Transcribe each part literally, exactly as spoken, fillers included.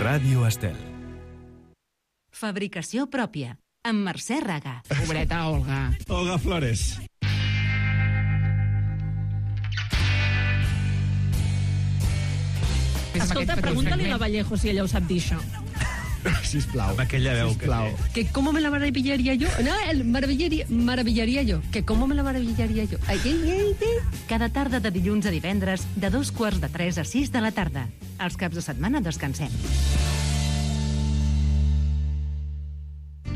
Ràdio Estel. Fabricació pròpia, amb Mercè Raga. Pobreta Olga. Olga Flores. Escolta, pregunta-li a la Vallejo si ella ho sap dir, això. Sisplau. Amb aquella veu que té. Que cómo me la maravillaría yo. No, el maravillaría, maravillaría yo. Que cómo me la maravillaría yo. Ai, ai, ai, ai. Cada tarda de dilluns a divendres, de dos quarts de tres a sis de la tarda. Els caps de setmana descansem.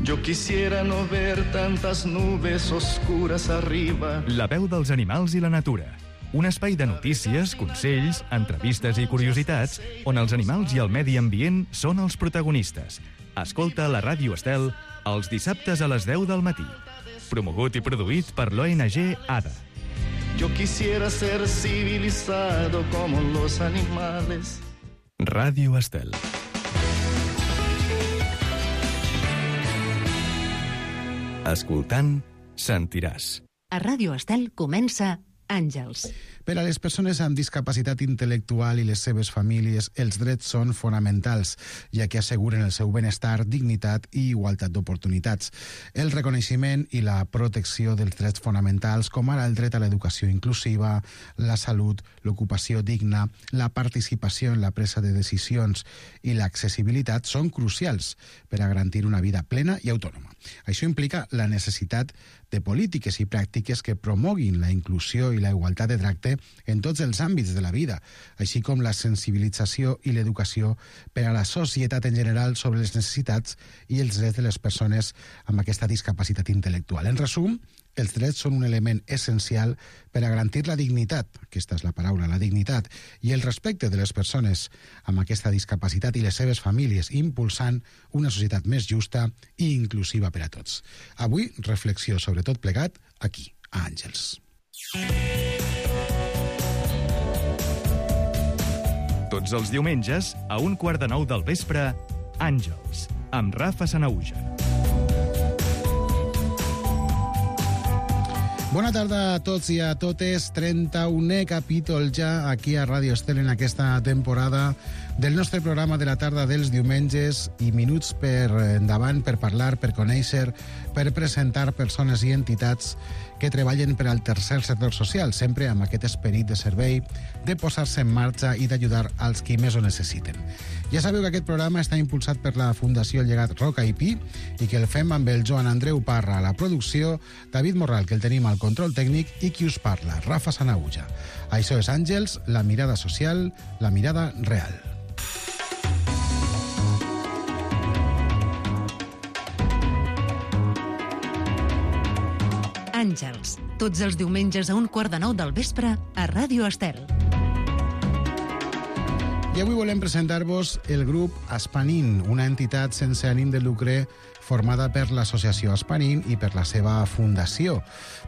Yo quisiera no ver tantas nubes oscuras arriba. La veu dels animals i la natura. Un espai de notícies, consells, entrevistes i curiositats on els animals i el medi ambient són els protagonistes. Escolta la Ràdio Estel els dissabtes a les deu del matí. Promogut i produït per l'O N G ADA. Yo quisiera ser civilizado como los animales. Ràdio Estel. Escoltant, sentiràs. A Ràdio Estel comença Àngels. Per a les persones amb discapacitat intel·lectual i les seves famílies, els drets són fonamentals, ja que asseguren el seu benestar, dignitat i igualtat d'oportunitats. El reconeixement i la protecció dels drets fonamentals, com ara el dret a l'educació inclusiva, la salut, l'ocupació digna, la participació en la presa de decisions i l'accessibilitat, són crucials per a garantir una vida plena i autònoma. Això implica la necessitat de polítiques i pràctiques que promoguin la inclusió i la igualtat de tracte en tots els àmbits de la vida, així com la sensibilització i l'educació per a la societat en general sobre les necessitats i els drets de les persones amb aquesta discapacitat intel·lectual. En resum, els drets són un element essencial per a garantir la dignitat, aquesta és la paraula, la dignitat, i el respecte de les persones amb aquesta discapacitat i les seves famílies, impulsant una societat més justa i inclusiva per a tots. Avui, reflexió sobre tot plegat, aquí, a Àngels. Tots els diumenges, a un quart de nou del vespre, Àngels, amb Rafa Sanauja. Bona tarda a tots i a totes. trenta-unè capítol ja aquí a Ràdio Estel en aquesta temporada del nostre programa de la tarda dels diumenges, i minuts per endavant per parlar, per conèixer, per presentar persones i entitats que treballen per al tercer sector social, sempre amb aquest esperit de servei, de posar-se en marxa i d'ajudar als qui més ho necessiten. Ja sabeu que aquest programa està impulsat per la Fundació Llegat Roca i Pi i que el fem amb el Joan Andreu Parra a la producció, David Morral, que el tenim al control tècnic, i qui us parla, Rafa Sanauja. Això és Àngels, la mirada social, la mirada real. Àngels, tots els diumenges a un quart de nou del vespre a Ràdio Estel. I avui volem presentar-vos el grup Aspanin, una entitat sense ànim de lucre formada per l'associació Aspanin i per la seva fundació.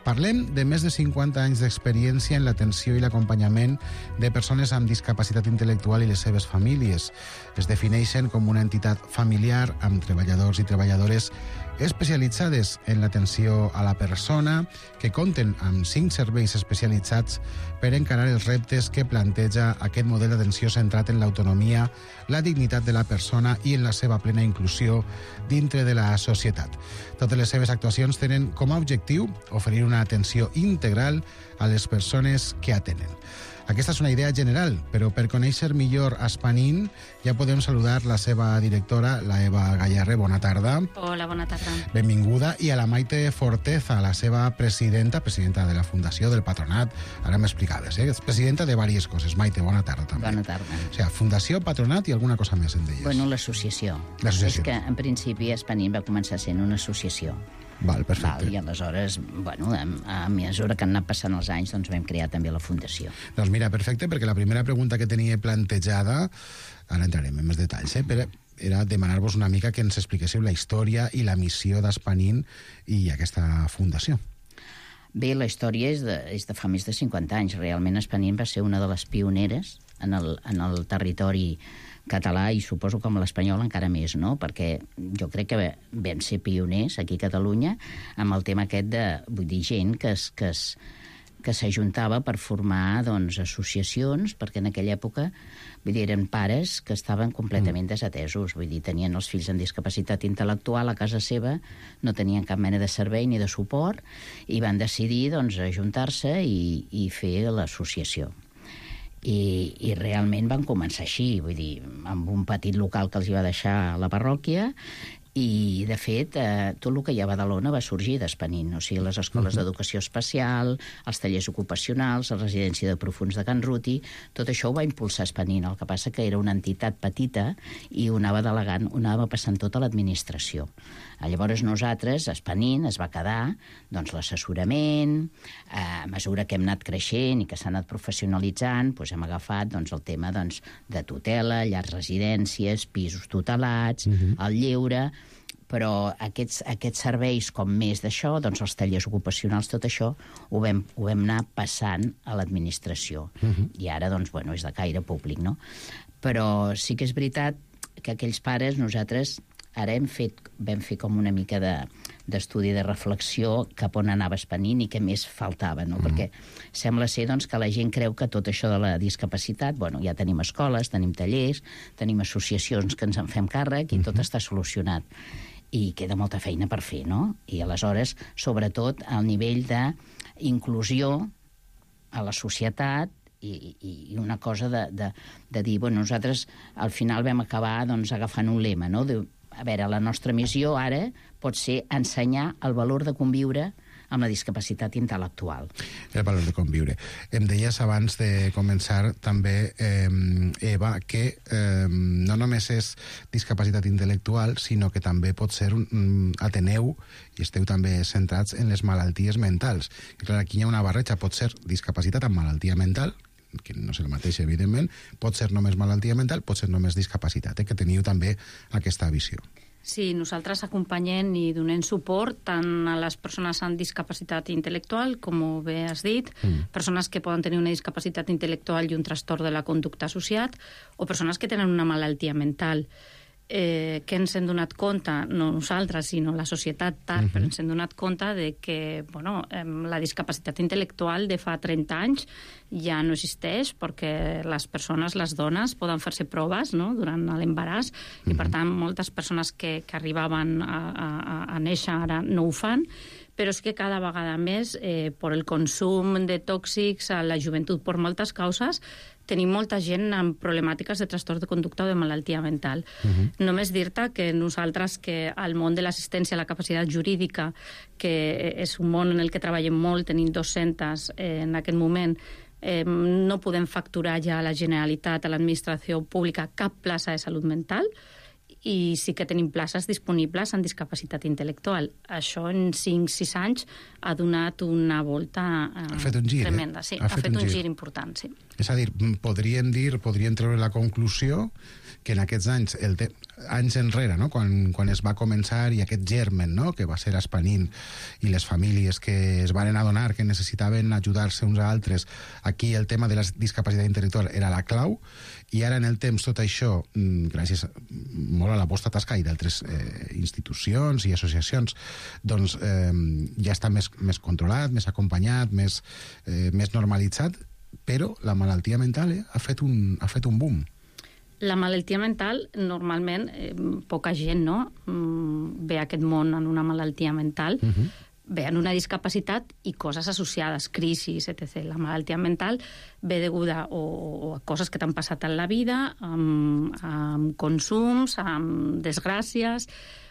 Parlem de més de cinquanta anys d'experiència en l'atenció i l'acompanyament de persones amb discapacitat intel·lectual i les seves famílies. Es defineixen com una entitat familiar amb treballadors i treballadores especialitzades en l'atenció a la persona, que compten amb cinc serveis especialitzats per encarar els reptes que planteja aquest model d'atenció centrat en l'autonomia, la dignitat de la persona i en la seva plena inclusió dintre de la societat. Totes les seves actuacions tenen com a objectiu oferir una atenció integral a les persones que atenen. Aquesta és una idea general, però per conèixer millor Aspanin ja podem saludar la seva directora, la Eva Gallarre. Bona tarda. Hola, bona tarda. Benvinguda. I a la Maite Forteza, la seva presidenta, presidenta de la Fundació, del Patronat. Ara m'explicaves, eh? És presidenta de diverses coses. Maite, bona tarda també. Bona tarda. O sigui, Fundació, Patronat i alguna cosa més en deies. Bueno, l'associació. L'associació. És que, en principi, Aspanin va començar sent una associació. Val, perfecte. Val, i aleshores, bueno, a, a mesura que han anat passant els anys, doncs vam crear també la Fundació. Doncs mira, perfecte, perquè la primera pregunta que tenia plantejada, ara entrarem en més detalls, eh, però era demanar-vos una mica que ens expliquéssiu la història i la missió d'Aspanin i aquesta fundació. Bé, la història és de, és de fa més de cinquanta anys. Realment Aspanin va ser una de les pioneres en el, en el territori català, i suposo com l'espanyol encara més, no? Perquè jo crec que vam ser pioners aquí a Catalunya amb el tema aquest de, vull dir, gent que es, que es que s'ajuntava per formar doncs, associacions, perquè en aquella època vull dir, eren pares que estaven completament desatesos, vull dir, tenien els fills amb discapacitat intel·lectual a casa seva, no tenien cap mena de servei ni de suport, i van decidir doncs, ajuntar-se i, i fer l'associació. I, i realment van començar així, vull dir, amb un petit local que els hi va deixar la parròquia, i, de fet, eh, tot el que hi ha a Badalona va sorgir d'Espanint, o sigui, les escoles uh-huh. d'educació especial, els tallers ocupacionals, la residència de profuns de Can Ruti, tot això ho va impulsar Espanint, el que passa que era una entitat petita i ho anava delegant, ho anava passant tot a l'administració. Llavors nosaltres, Espanint, es va quedar doncs, l'assessorament, eh, a mesura que hem anat creixent i que s'ha anat professionalitzant, doncs hem agafat doncs, el tema doncs, de tutela, llars residències, pisos tutelats, uh-huh. el lleure, però aquests, aquests serveis com més d'això, doncs els tallers ocupacionals, tot això ho vam, ho vam anar passant a l'administració. Uh-huh. I ara, doncs, bueno, és de caire públic, no? Però sí que és veritat que aquells pares, nosaltres ara hem fet, vam fer com una mica de, d'estudi de reflexió cap on anava Espanint i què més faltava, no? Uh-huh. Perquè sembla ser doncs, que la gent creu que tot això de la discapacitat, bueno, ja tenim escoles, tenim tallers, tenim associacions que ens en fem càrrec i uh-huh. tot està solucionat. I queda molta feina per fer, no? I aleshores, sobretot, al nivell d'inclusió a la societat i, i una cosa de, de, de dir, bueno, nosaltres al final vam acabar doncs, agafant un lema, no? De, a veure, la nostra missió ara pot ser ensenyar el valor de conviure amb la discapacitat intel·lectual. El valor de conviure. Em deies abans de començar també, eh, Eva, que eh, no només és discapacitat intel·lectual, sinó que també pot ser un, un ateneu i esteu també centrats en les malalties mentals. I clar, aquí hi ha una barreja, pot ser discapacitat amb malaltia mental, que no és el mateix, evidentment, pot ser només malaltia mental, pot ser només discapacitat, eh, que teniu també aquesta visió. Sí, nosaltres acompanyem i donem suport tant a les persones amb discapacitat intel·lectual, com bé has dit, mm. persones que poden tenir una discapacitat intel·lectual i un trastorn de la conducta associat, o persones que tenen una malaltia mental. Eh, que ens hem donat compte, no nosaltres, sinó la societat tard, uh-huh. però ens hem donat compte de que bueno, eh, la discapacitat intel·lectual de fa trenta anys ja no existeix perquè les persones, les dones, poden fer-se proves no? durant l'embaràs uh-huh. i per tant moltes persones que, que arribaven a, a, a néixer ara no ho fan, però és que cada vegada més, eh, per el consum de tòxics a la joventut per moltes causes, tenim molta gent amb problemàtiques de trastorn de conducta o de malaltia mental. Uh-huh. Només dir-te que nosaltres, que al món de l'assistència a la capacitat jurídica, que és un món en el que treballem molt, tenim dos-centes eh, en aquest moment, eh, no podem facturar ja a la Generalitat, a l'administració pública, cap plaça de salut mental, i sí que tenim places disponibles en discapacitat intel·lectual. Això en cinc sis anys ha donat una volta eh, ha fet un gir, tremenda. Sí, ha, ha fet, fet un gir. gir important, sí. És a dir, podríem dir, podríem treure la conclusió que en aquests anys, el te... anys enrere, no? quan, quan es va començar i aquest germen no? que va ser Espanint i les famílies que es van adonar que necessitaven ajudar-se uns a altres, aquí el tema de la discapacitat intel·lectual era la clau, i ara en el temps tot això, gràcies molt a la vostra tasca i d'altres eh, institucions i associacions, doncs eh, ja està més, més controlat, més acompanyat, més, eh, més normalitzat, però la malaltia mental eh, ha, fet un, ha fet un boom. La malaltia mental, normalment, eh, poca gent no? mm, ve a aquest món en una malaltia mental, uh-huh. ve en una discapacitat i coses associades, crisis, etcètera. La malaltia mental ve deguda o, o a coses que t'han passat en la vida, amb, amb consums, amb desgràcies.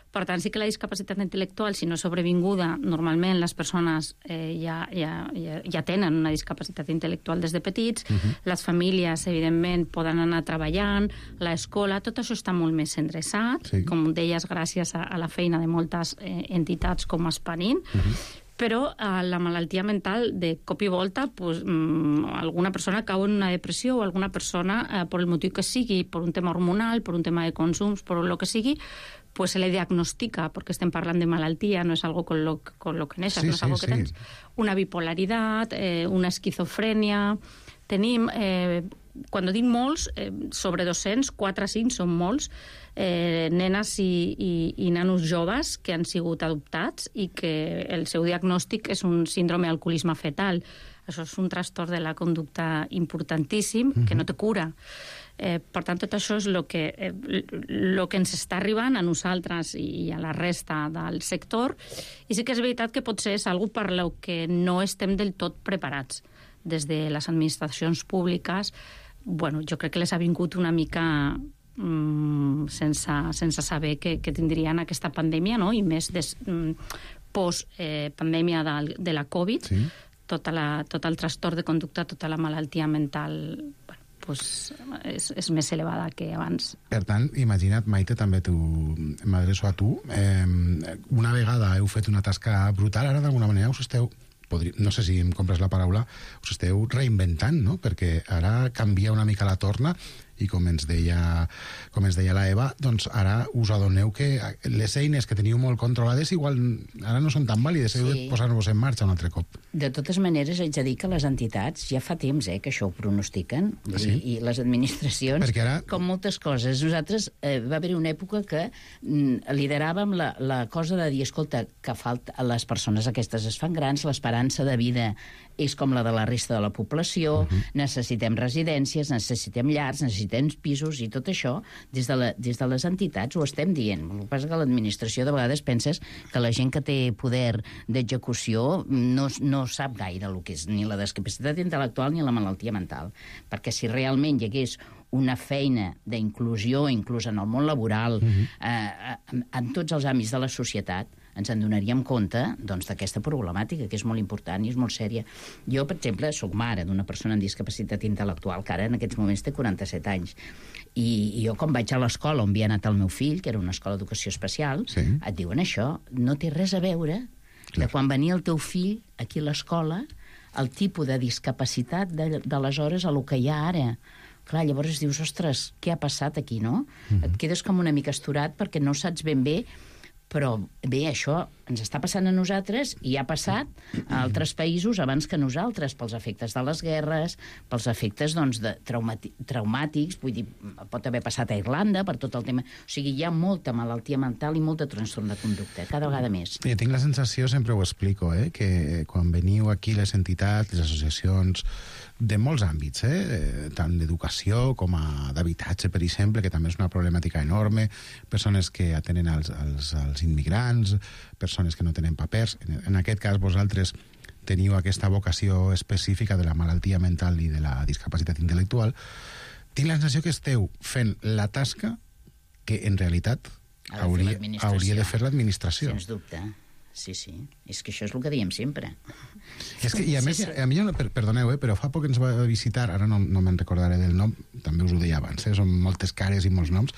Per tant, sí que la discapacitat intel·lectual, si no és sobrevinguda, normalment les persones eh, ja, ja, ja, ja tenen una discapacitat intel·lectual des de petits, uh-huh. les famílies, evidentment, poden anar treballant, l'escola, tot això està molt més endreçat, sí. com deies, gràcies a, a la feina de moltes eh, entitats com Espanint, uh-huh. però eh, la malaltia mental, de cop i volta, pues, mm, alguna persona cau en una depressió o alguna persona, eh, per el motiu que sigui, per un tema hormonal, per un tema de consums, per el que sigui, pues se le diagnostica, porque estem parlant de malaltia, no és algo con lo, con lo que neixes, sí, no és algo sí, que tens. Sí. Una bipolaritat, eh, una esquizofrènia. Tenim, eh, quan dic molts, eh, sobre dos-cents, quatre o cinc són molts, eh, nenes i, i, i nanos joves que han sigut adoptats i que el seu diagnòstic és un síndrome d'alcoholisme fetal. Això és un trastorn de la conducta importantíssim, uh-huh. que no té cura. Eh, per tant, tot això és el que, eh, lo que ens està arribant a nosaltres i a la resta del sector, i sí que és veritat que potser és algo per lo que no estem del tot preparats. Des de les administracions públiques, bueno, jo crec que les ha vingut una mica mm, sense, sense saber que, que tindrien aquesta pandèmia, no? I més des, mm, post-pandèmia eh, de, de la Covid, sí. tota la, tot el trastorn de conducta, tota la malaltia mental, bueno, pues, és, és més elevada que abans. Per tant, imagina't, Maite, també tu, m'adreço a tu, eh, una vegada heu fet una tasca brutal, ara d'alguna manera us esteu, podri, no sé si em compres la paraula, us esteu reinventant, no? Perquè ara canvia una mica la torna i com ens deia, com ens deia la Eva, doncs ara us adoneu que les eines que teniu molt controlades igual ara no són tan vàlides, heu sí. de posar-vos en marxa un altre cop. De totes maneres, haig de dir que les entitats ja fa temps eh, que això ho pronostiquen, ah, sí? i, i les administracions, ara... com moltes coses. Nosaltres eh, va haver una època que mm, lideràvem la, la cosa de dir, escolta, que falta, les persones aquestes es fan grans, l'esperança de vida és com la de la resta de la població, uh-huh. necessitem residències, necessitem llars, necessitem pisos i tot això, des de, la, des de les entitats ho estem dient. El que passa que l'administració de vegades penses que la gent que té poder d'execució no, no sap gaire el que és ni la discapacitat intel·lectual ni la malaltia mental. Perquè si realment hi hagués una feina d'inclusió, inclús en el món laboral, uh-huh. eh, en, en tots els àmbits de la societat, ens en donaríem compte doncs, d'aquesta problemàtica, que és molt important i és molt sèria. Jo, per exemple, soc mare d'una persona amb discapacitat intel·lectual, que ara en aquests moments té quaranta-set anys. I, i jo, quan vaig a l'escola on havia anat el meu fill, que era una escola d'educació especial, sí. et diuen això, no té res a veure Clar. de quan venia el teu fill aquí a l'escola, el tipus de discapacitat d'aleshores a lo que hi ha ara. Clar, llavors dius, ostres, què ha passat aquí, no? Mm-hmm. Et quedes com una mica asturat perquè no saps ben bé, però bé, això ens està passant a nosaltres i ha passat a altres països abans que nosaltres, pels efectes de les guerres, pels efectes doncs, de traumati traumàtics, vull dir, pot haver passat a Irlanda per tot el tema. O sigui, hi ha molta malaltia mental i molta trastorn de conducta, cada vegada més. Jo tinc la sensació, sempre ho explico, eh, que quan veniu aquí les entitats, les associacions, de molts àmbits, eh? tant d'educació com d'habitatge, per exemple, que també és una problemàtica enorme, persones que atenen als, als, als immigrants, persones que no tenen papers. En, en aquest cas, vosaltres teniu aquesta vocació específica de la malaltia mental i de la discapacitat intel·lectual. Tinc la sensació que esteu fent la tasca que, en realitat, hauria, hauria de fer l'administració. Sens dubte. Sí, sí. És que això és el que diem sempre. És que, i a més, a mi, per, perdoneu, eh, però fa poc ens va visitar, ara no, no me'n recordaré del nom, també us ho deia abans, eh, són moltes cares i molts noms.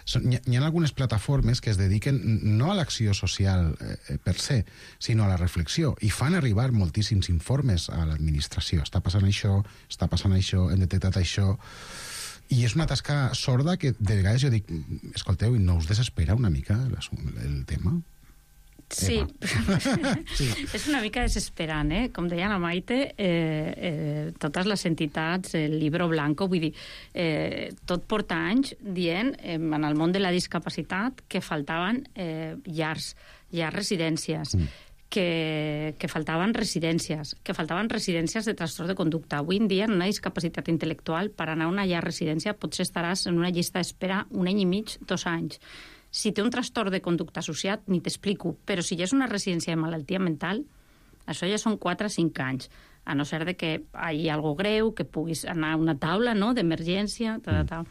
Són, hi, hi ha algunes plataformes que es dediquen no a l'acció social eh, per se, sinó a la reflexió, i fan arribar moltíssims informes a l'administració. Està passant això, està passant això, hem detectat això... I és una tasca sorda que de vegades jo dic, escolteu, i no us desespera una mica el, el tema? Sí. sí, és una mica desesperant, eh? Com deia la Maite, eh, eh, totes les entitats, el Libro Blanco, vull dir, eh, tot porta anys dient, eh, en el món de la discapacitat, que faltaven eh, llars, llars residències, mm. que, que faltaven residències, que faltaven residències de trastorn de conducta. Avui en dia, en una discapacitat intel·lectual, per anar a una llar residència, potser estaràs en una llista d'espera un any i mig, dos anys. Si té un trastorn de conducta associat, ni t'explico, però si ja és una residència de malaltia mental, això ja són quatre o cinc anys, a no ser de que hi hagi alguna cosa greu, que puguis anar a una taula, no?, d'emergència, tal, tal.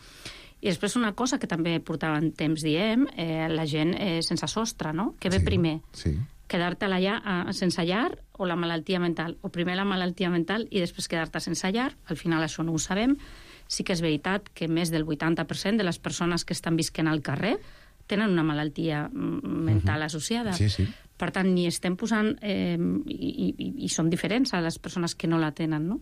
I després una cosa que també portaven temps diem, eh, la gent eh, sense sostre, no?, que ve sí, primer. Sí. Quedar-te allà eh, sense llar o la malaltia mental, o primer la malaltia mental i després quedar-te sense llar, al final això no ho sabem. Sí que és veritat que més del vuitanta per cent de les persones que estan visquent al carrer tenen una malaltia mental uh-huh. associada. Sí, sí. Per tant, ni estem posant... Eh, i, i, I són diferents a les persones que no la tenen, no?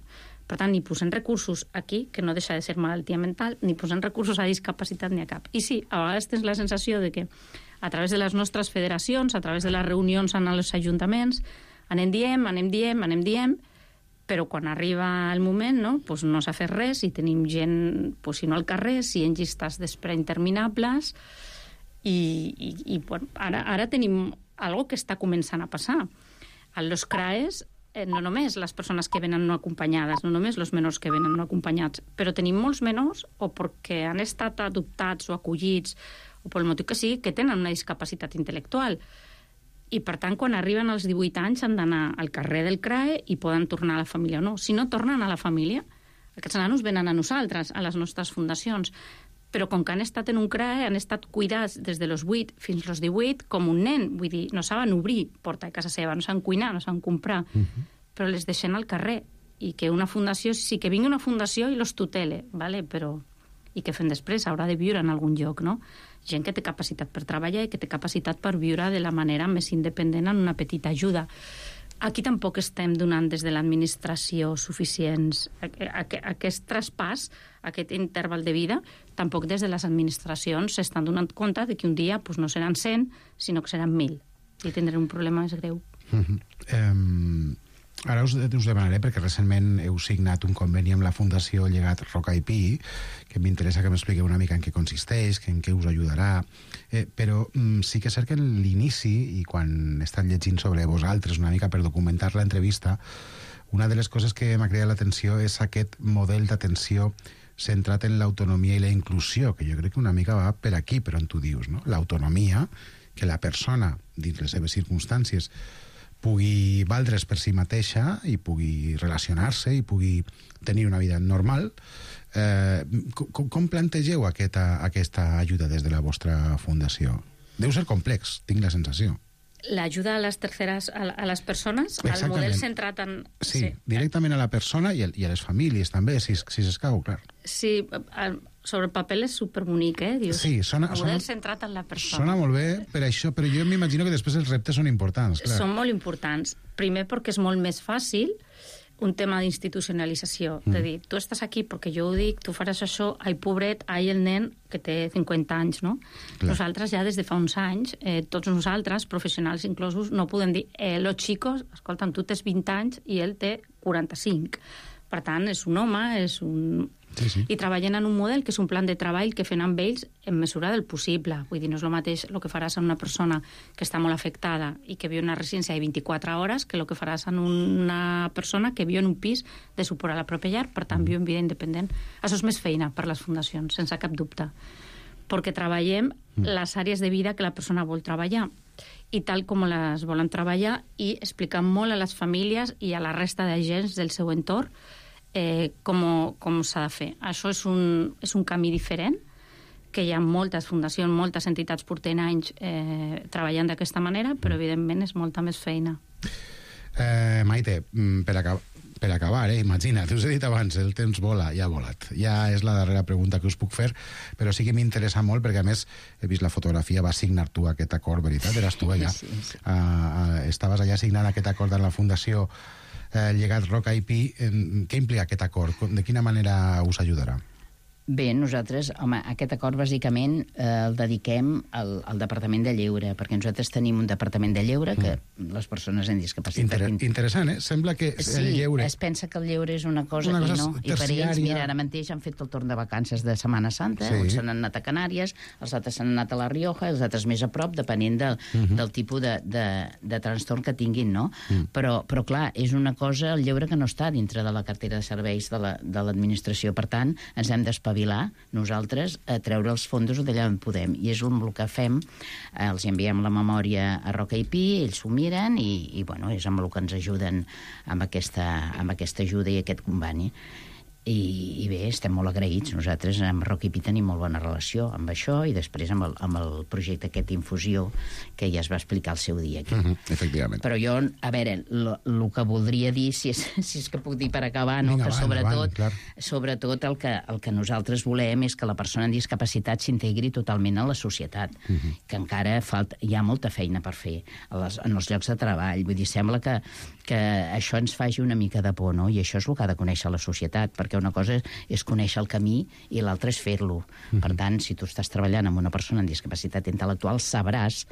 Per tant, ni posem recursos aquí, que no deixa de ser malaltia mental, ni posem recursos a discapacitat ni a cap. I sí, a vegades tens la sensació de que a través de les nostres federacions, a través de les reunions en els ajuntaments, anem diem, anem diem, anem diem, però quan arriba el moment, no, pues no s'ha fet res i tenim gent, pues, si no al carrer, si en llistes d'espera interminables... I, i, i bueno, ara, ara tenim algo que està començant a passar. A los C R A E S eh, no només les persones que venen no acompanyades, no només els menors que venen no acompanyats, però tenim molts menors o perquè han estat adoptats o acollits o pel motiu que sigui, que tenen una discapacitat intel·lectual. I, per tant, quan arriben als divuit anys han d'anar al carrer del C R A E i poden tornar a la família o no. Si no tornen a la família, aquests nanos venen a nosaltres, a les nostres fundacions. Però com que han estat en un C R A E, han estat cuidats des de los vuit fins als divuit com un nen. Vull dir, no saben obrir porta a casa seva, no saben cuinar, no saben comprar, uh -huh. però les deixen al carrer. I que una fundació, sí que vingui una fundació i los tutele, ¿vale? Però i què fem després? Haurà de viure en algun lloc, no? Gent que té capacitat per treballar i que té capacitat per viure de la manera més independent en una petita ajuda. Aquí tampoc estem donant des de l'administració suficients. Aquest traspàs, aquest interval de vida, tampoc des de les administracions s'estan donant compte de que un dia pues, no seran cent, sinó que seran mil. I tindrem un problema més greu. Uh-huh. um, ara us, us demanaré, perquè recentment heu signat un conveni amb la Fundació Llegat Roca i Pi, que m'interessa que m'expliqueu una mica en què consisteix, que en què us ajudarà, eh, però mm, sí que és cert que en l'inici, i quan he estat llegint sobre vosaltres una mica per documentar l'entrevista, una de les coses que m'ha cridat l'atenció és aquest model d'atenció centrat en l'autonomia i la inclusió, que jo crec que una mica va per aquí, per on tu dius, no? L'autonomia, que la persona, dins les seves circumstàncies, pugui valdre's per si mateixa i pugui relacionar-se i pugui tenir una vida normal. Eh, com, com plantegeu aquesta, aquesta ajuda des de la vostra fundació? Deu ser complex, tinc la sensació. L'ajuda a les terceres, a, a les persones, exactament. El model centrat en... Sí, sí, directament a la persona i a, i a les famílies també, si, si s'escau, clar. Sí, sobre el paper és superbonic, eh? Dius, sí, sona, el model sona, centrat en la persona. Sona molt bé per això, però jo m'imagino que després els reptes són importants, clar. Són molt importants. Primer perquè és molt més fàcil un tema d'institucionalització. Mm. De dir, tu estàs aquí perquè jo ho dic, tu faràs això, ai, pobret, ai, el nen que té cinquanta anys, no? Clar. Nosaltres ja des de fa uns anys, eh, tots nosaltres, professionals inclosos, no podem dir, eh, los chicos, escolta'm, tu tens vint anys i ell té quaranta-cinc. Per tant, és un home, és un... Sí, sí. I treballen en un model que és un plan de treball que fem amb ells en mesura del possible. Vull dir, no és el mateix el que faràs en una persona que està molt afectada i que viu en una residència de vint-i-quatre hores que el que faràs en una persona que viu en un pis de suport a la pròpia llar, per tant, viu en vida independent. Això és més feina per les fundacions, sense cap dubte. Perquè treballem les àrees de vida que la persona vol treballar i tal com les volen treballar i explicant molt a les famílies i a la resta d'agents del seu entorn Eh, com, com s'ha de fer. Això és un, és un camí diferent, que hi ha moltes fundacions, moltes entitats porten anys eh, treballant d'aquesta manera, però evidentment és molta més feina. Eh, Maite, per, acabar, per acabar, eh, imagina't, us he dit abans, el temps vola, ja ha volat. Ja és la darrera pregunta que us puc fer, però sí que m'interessa molt, perquè a més he vist la fotografia, vas signar tu aquest acord, veritat? Eres tu allà. Sí, sí. Uh, uh, estaves allà signant aquest acord amb la Fundació Eh, Llegat Roca i Pi. Eh, què implica aquest acord? De quina manera us ajudarà? Bé, nosaltres, home, aquest acord bàsicament eh, el dediquem al, al Departament de Lleure, perquè nosaltres tenim un Departament de Lleure que mm. les persones amb discapacitat... Inter interessant, eh? Sembla que sí, el lleure... es pensa que el lleure és una cosa, una cosa i no. I per ells, mira, ara mateix han fet el torn de vacances de Setmana Santa, sí. Uns s'han anat a Canàries, els altres s'han anat a La Rioja, els altres més a prop, depenent del, mm -hmm. del tipus de, de, de trastorn que tinguin, no? Mm. Però, però, clar, és una cosa, el lleure que no està dintre de la cartera de serveis de l'administració. La, de per tant, ens hem d'espavilar nosaltres a treure els fondos d'allà on podem. I és el que fem, eh, els enviem la memòria a Roca i Pi, ells s'ho miren i, i bueno, és amb el que ens ajuden amb aquesta, amb aquesta ajuda i aquest conveni. I, i bé, estem molt agraïts. Nosaltres amb Roca i Pi tenim molt bona relació amb això i després amb el, amb el projecte aquest Infusió que ja es va explicar el seu dia aquí. Uh -huh, efectivament. Però jo, a veure, el que voldria dir, si és, si és que puc dir per acabar, no? Vinga, que va, sobretot, endavant, sobretot el, que, el que nosaltres volem és que la persona amb discapacitat s'integri totalment a la societat, uh -huh. que encara falta, hi ha molta feina per fer a les, en els llocs de treball. Vull dir, sembla que, que això ens faci una mica de por, no? I això és el que ha de conèixer la societat, perquè una cosa és conèixer el camí i l'altra és fer-lo. Uh -huh. Per tant, si tu estàs treballant amb una persona amb discapacitat intel·lectual, sabràs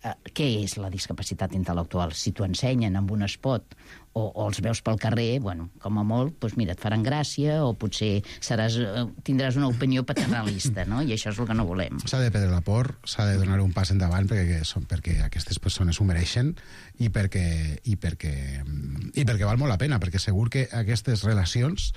eh, què és la discapacitat intel·lectual. Si t'ho ensenyen amb un espot o, o els veus pel carrer, bueno, com a molt, doncs mira, et faran gràcia o potser seràs, tindràs una opinió paternalista, no? I això és el que no volem. S'ha de prendre la por, s'ha de donar un pas endavant perquè, perquè aquestes persones ho mereixen i perquè, i, perquè, i perquè val molt la pena, perquè segur que aquestes relacions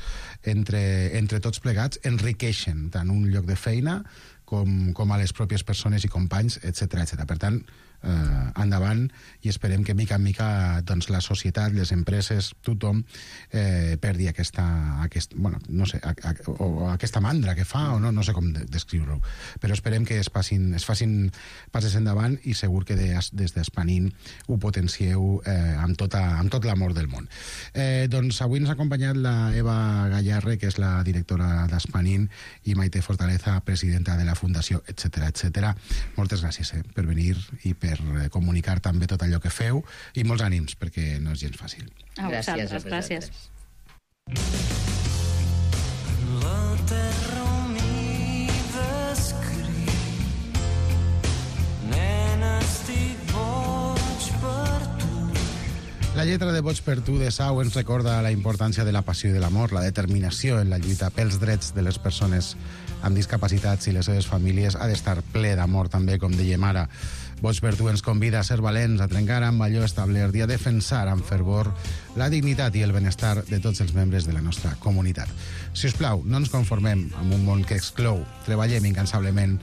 entre, entre tots plegats enriqueixen tant un lloc de feina com, com a les pròpies persones i companys, etcètera etcètera. Per tant, eh, endavant, i esperem que mica en mica doncs, la societat, les empreses, tothom eh, perdi aquesta, aquest, bueno, no sé, a, a, o aquesta mandra que fa, o no, no sé com de, descriure-ho, però esperem que es facin, es facin passes endavant i segur que des, des d'Espanin ho potencieu eh, amb, tota, amb tot l'amor del món. Eh, doncs avui ens ha acompanyat la Eva Gallarre, que és la directora d'Espanin, i Maite Fortaleza, presidenta de la Fundació, etcètera etcètera. Moltes gràcies eh, per venir i per comunicar també tot allò que feu, i molts ànims, perquè no és gens fàcil. A vosaltres, gràcies. La terra humida escriu, nena, estic boig per tu. La lletra de Boig per tu de Sau ens recorda la importància de la passió i de l'amor, la determinació en la lluita pels drets de les persones amb discapacitats i les seves famílies. Ha d'estar ple d'amor també, com dèiem ara. Boig per tu ens convida a ser valents, a trencar amb allò establert i a defensar amb fervor la dignitat i el benestar de tots els membres de la nostra comunitat. Si us plau, no ens conformem amb un món que exclou. Treballem incansablement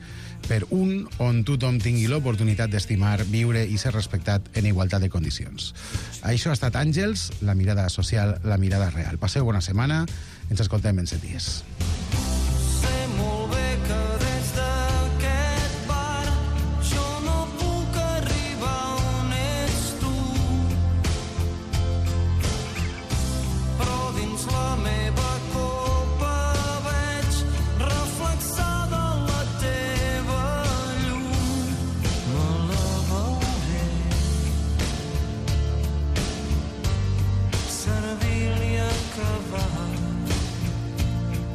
per un on tothom tingui l'oportunitat d'estimar, viure i ser respectat en igualtat de condicions. Això ha estat Àngels, la mirada social, la mirada real. Passeu bona setmana, ens escoltem en set dies.